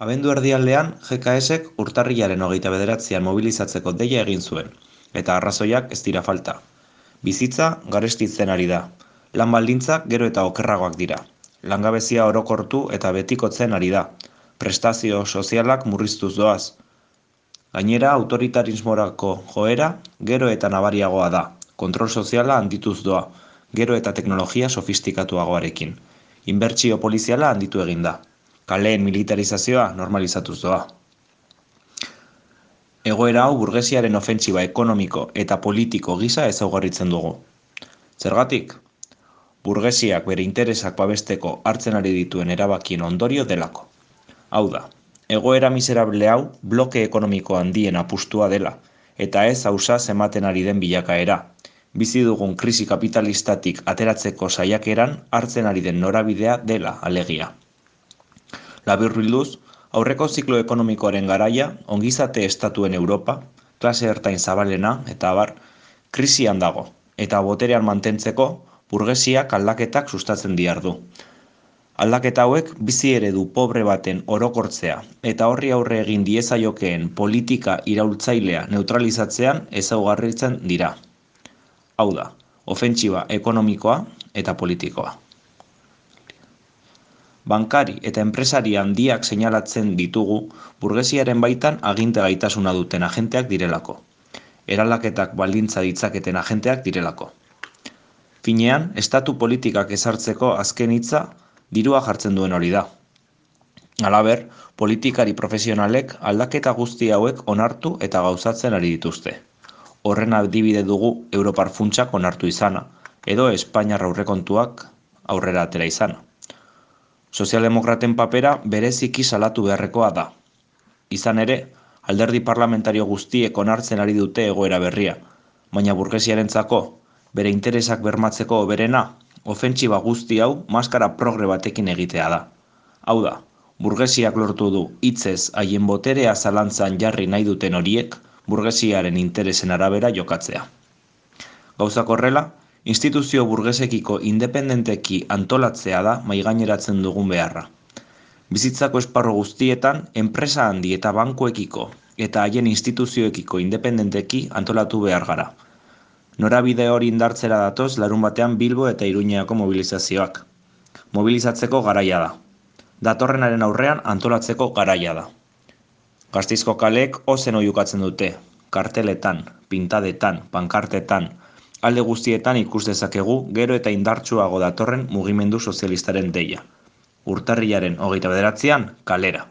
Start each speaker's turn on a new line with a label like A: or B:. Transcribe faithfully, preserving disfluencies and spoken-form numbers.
A: Abendu erdialdean, G K Sek urtarrilaren hogeita bederatzian mobilizatzeko deia egin zuen, eta arrazoiak ez dira falta. Bizitza garestitzen ari da. Lan baldintzak gero eta okerragoak dira. Langabezia orokortu eta betikotzen ari da. Prestazio sozialak murriztuz doaz. Gainera, autoritarismorako joera gero eta nabariagoa da. Kontrol soziala handituz doa, gero eta teknologia sofistikatuagoarekin. Inbertsio poliziala handitu egin da. Kaleen militarizazioa normalizatuz doa. Egoera hau burgesiaren ofentsiba ekonomiko eta politiko gisa ezaugarritzen dugu. Zergatik? Burgesiak bere interesak babesteko hartzen ari dituen erabakien ondorio delako. Hau da, egoera miserable hau bloke ekonomiko handien apustua dela, eta ez ausaz ematen ari den bilakaera. Bizi dugun krisi kapitalistatik ateratzeko saiakeran hartzen ari den norabidea dela alegia. Laburbilduz, aurreko ziklo ekonomikoaren garaia, ongizate estatuen Europa, klase ertain zabalena eta abar, krisian dago, eta boterean mantentzeko burgesiak aldaketak sustatzen diardu. Aldaketa hauek bizi eredu pobre baten orokortzea eta horri aurre egin diezaiokeen politika iraultzailea neutralizatzean ezaugarritzen dira. Hau da, ofentsiba ekonomikoa eta politikoa. Bankari eta enpresari handiak seinalatzen ditugu burgesiaren baitan aginte gaitasuna duten agenteak direlako. Eraldaketak baldintza ditzaketen agenteak direlako. Finean, estatu politikak ezartzeko azken hitza dirua jartzen duen hori da. Halaber, politikari profesionalek aldaketa guzti hauek onartu eta gauzatzen ari dituzte. Horren adibide dugu Europar funtsak onartu izana, edo Espainiar aurrekontuak aurrera atera izana. Sozialdemokraten papera bereziki salatu beharrekoa da. Izan ere, alderdi parlamentario guztiek onartzen ari dute egoera berria, baina burgesiarentzako, bere interesak bermatzeko hoberena, ofentsiba guzti hau maskara progre batekin egitea da. Hau da, burgesiak lortu du hitzez haien boterea zalantzan jarri nahi duten horiek burgesiaren interesen arabera jokatzea. Gauzak horrela, instituzio burgesekiko independenteki antolatzea da maigaineratzen dugun beharra. Bizitzako esparru guztietan, enpresa handi eta bankuekiko eta haien instituzioekiko independenteki antolatu behar gara. Norabide hori indartzera datoz larun batean Bilbo eta Iruñeako mobilizazioak. Mobilizatzeko garaia da. Datorrenaren aurrean antolatzeko garaia da. Gasteizko kaleek ozen oihukatzen dute, karteletan, pintadetan, pankartetan, alde guztietan ikus dezakegu gero eta indartsuago datorren mugimendu sozialistaren deia. Urtarrilaren hogeita bederatzian kalera.